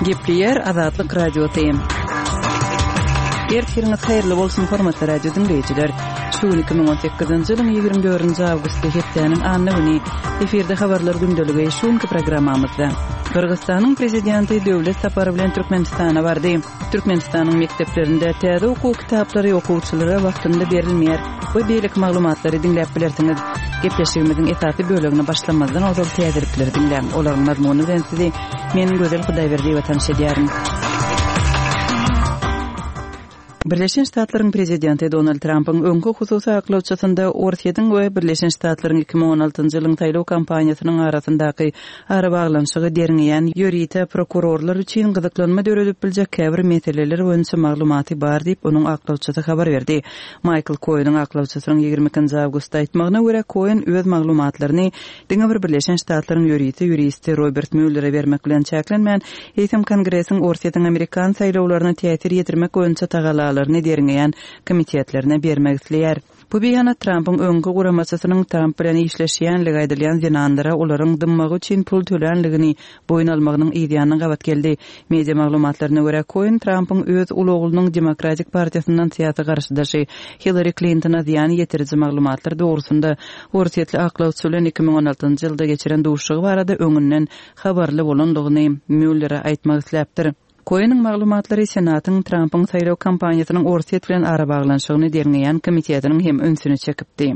Gepleýär Azatlyk Radiosy. Ertiriňiz haýyrly bolsun, hormatly radio diňleýjiler. Şu gün 2018-nji ýylyň 24-nji awgusty hepdäniň anna güni. Efirde habarlar gündeligi şu günki programmamyzda. Gyrgyzystanyň prezidenti döwlet sapary bilen Türkmenistana bardy. Türkmenistanyň mekdeplerinde täze okuw kitaplary okuwçylara wagtynda berilmeýär we beýleki maglumatlary diňläp bilersiňiz. Gepleşigimiziň esasy bölegine başlamazdan ozal täzelikleri diňläň. Olaryň mazmuny bilen sizi men Gözel Hudaýberdiýewa tanyş edýärin. Birleşen Ştatlaryň prezidenti Donald Trampyň öňki hususy aklawçysynda Orsýetiň we Birleşen Ştatlaryň 2016-njy ýylyň saýlaw kampaniýasynyň arasyndaky arabaglanyşygy derňeýän ýörite prokurorlar üçin gyzyklanma döredip biljek käbir meseleler boýunça maglumaty bar diýip, onuň aklawçysy habar berdi. Maýkl Koeniň aklawçysynyň 22-nji awgustda aýtmagyna görä, Koen öz maglumatlaryny diňe bir Birleşen Ştatlaryň ýörite ýuristi Robert Muellere bermek bilen çäklenmän, eýsem Kongresiň Orsýetiň amerikan saýlawlaryna täsir ýetirmek boýunça tagallalaryny derňeýän komitetlerine bermek isleýär. Bu beýanat Trampyň öňki guramaçysynyň Tramp bilen işleşýänligi aýdylýan zenanlara olaryň dymmagy üçin pul tölänligini boýun almagynyň yzýanyna gabat geldi. Media maglumatlaryna görä, Koen Trampyň öz uly oglunyň Demokratik partiýasyndan syýasy garşydaşy Hillari Klintona zyýan ýetiriji maglumatlar dogrusynda orsýetli aklawçy bilen 2016-njy ýylda geçiren duşuşygy barada öňünden habarly bolandygyny Muellere aýtmak isläpdir. Koeniň maglumatlary Senatyň Trampyň saýlaw kampaniýasynyň Orsýet bilen arabaglanyşygyny derňeýän komitetiniň hem ünsüni çekipdi.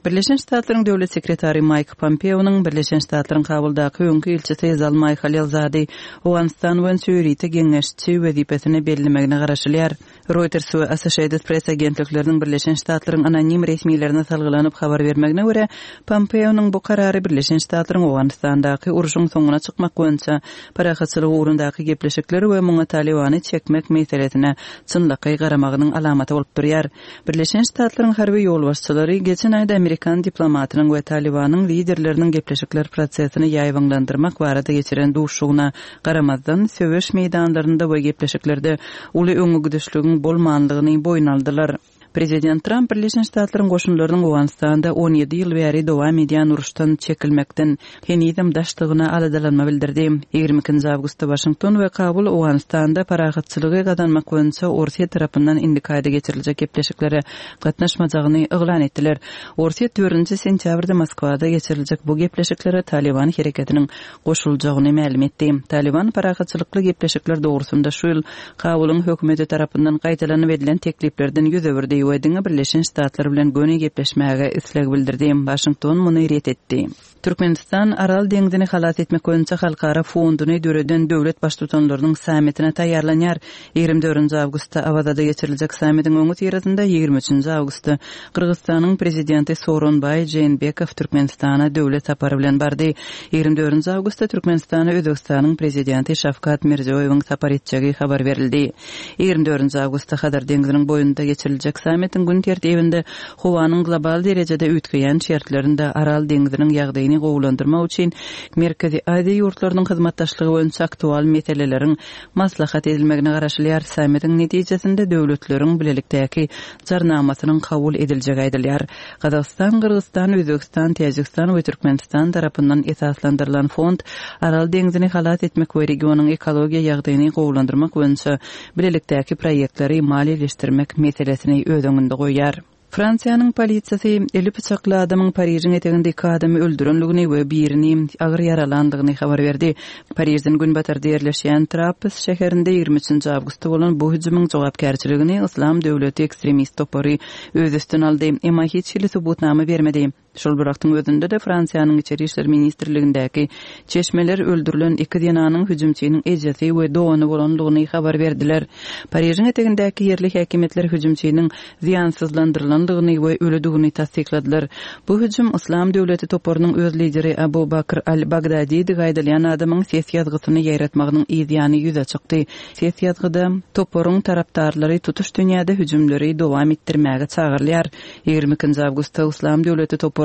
Birleşen Ştatlaryň Döwlet sekretary Maýk Pompeonyň Birleşen Ştatlaryň Kabuldaky öňki ilçisi Zalmaý Halilzady Owganystan boýunça ýörite geňeşçi wezipesine bellemegine garaşylýar. Reuters we Associated Press agentlikleriniň Birleşen Ştatlaryň anonim resmilerine salgylanyp habar bermegine görä, Pompeonyň bu karary Birleşen Ştatlaryň Owganystandaky urşuň soňuna çykmak boýunça parahatçylyk ugrundaky gepleşikler we muňa Talybany çekmek meselesine çynlakaý garamagynyň alamaty bolup durýar. Birleşen Ştatlaryň harby ýolbaşçylary geçen aýda amerikan diplomatynyň we Talybanyň liderleriniň gepleşikler prosesini ýaýbaňlandyrmak barada geçiren duşuşygyna garamazdan, söweş meýdanlarynda we gepleşiklerde uly öňegidişligiň bolmanlygyny boýun aldylar. Prezident Tramp Birleşen Ştatlaryň goşunlarynyň Owganystanda 17 ýyl bäri dowam edýän uruşdan çekilmekden henizem daşdygyna aladalanma bildirdi. 22-nji awgustda Waşington we Kabul Owganystanda parahatçylygy gazanmak boýunça Orsýet tarapyndan indiki aýda geçiriljek gepleşiklere gatnaşmajagyny yglan etdiler. Orsýet dördünji sentýabrda Moskwada geçiriljek bu gepleşiklere Talyban hereketiniň goşuljagyny mälim etdi. Talyban parahatçylykly gepleşikler dogrusynda şu ýyl Kabulyň hökümeti tarapyndan gaýtalanyp edilen tekliplerden ýüz öwürdi we diňe Birleşen Ştatlar bilen göni gepleşmäge isleg bildirdi. Waşington muny ret etdi. Türkmenistan Aral deňzini halas etmek boýunça halkara fonduny döreden döwlet Baştutanlarynyň sammitine taýýarlanýar. 24-nji awgustda Awazada geçiriljek sammitiň öňüsyrasynda 23-nji awgustda Gyrgyzystanyň Prezidenti Sooronbaý Jeenbekow Türkmenistana döwlet sapary bilen bardy. 24-nji awgustda Türkmenistana Özbegistanyň Prezidenti Şawkat Mirziýoýewiň sapar etjegi habar berildi. 24-nji awgustda Hazar deňziniň boýunda geçiriljek sammitiň gün tertibinde howanyň global derejede üýtgeýän şertlerinde Aral deňziniň ýagdaýyny gowulandyrmak üçin Merkezi Aziýa ýurtlarynyň hyzmatdaşlygy boýunça aktual meseleleriň maslahat edilmegine garaşylýar. Sammitiň netijesinde döwletleriň bilelikdäki Jarnamasynyň kabul ediljegi aýdylýar. Gazagystan, Gyrgyzystan, Özbegistan, Täjigistan we Türkmenistan tarapyndan esaslandyrylan fond Aral deňzini halas etmek we regionyň ekologiýa ýagdaýyny gowulandyrmak boýunça bilelikdäki proýektleri maliýeleşdirmek meselesini öz öňünde goýýar. Fransiýanyň polisiýasy eli pyçakly adamyň Parižiň eteginde iki adamy öldürendigini we birini agyr ýaralandygyny habar berdi. Parižden günbatarda ýerleşýän Trappes şäherinde 23-nji awgustda bolan bu hüjümiň jogapkärçiligini Yslam döwleti ekstremist topary öz üstüne aldy, emma hiç hili subutnama bermedi. Şol bir wagtyň özünde-de Fransiýanyň Içeri işler ministrligindäki çeşmeler öldürilen iki zenanyň hüjümçiniň ejesi we dogany bolandygyny habar berdiler. Parižiň etegindäki ýerli häkimiýetler hüjümçiniň zyýansyzlandyrylandygyny we ölüdigini tassykladylar. Bu hüjüm Yslam döwleti toparynyň öz lideri Abu Bakr al-Bagdadidigi aýdylýan adamyň ses ýazgysyny ýaýratmagynyň yz ýany ýüze çykdy. Ses ýazgyda toparyň tarapdarlary tutuş dünýäde hüjümleri dowam etdirmäge çagyrylýar. 22-nji awgustda Yslam döwleti toparynyň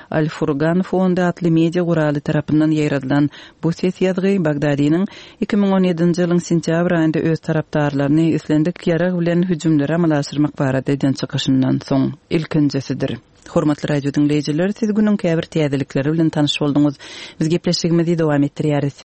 Al-Furgan fondy atly media guraly tarapyndan ýaýradylan bu ses ýazgy Bagdadiniň 2017-nji ýylyň sentýabr aýynda öz tarapdarlaryny islendik ýarag bilen hüjümleri amala aşyrmak barada eden çykyşyndan soň ilkinjisidir. Hormatly radio diňleýjiler, siz günüň käbir täzelikleri bilen tanyş bolduňyz. Biz gepleşigimizi dowam etdirýäris.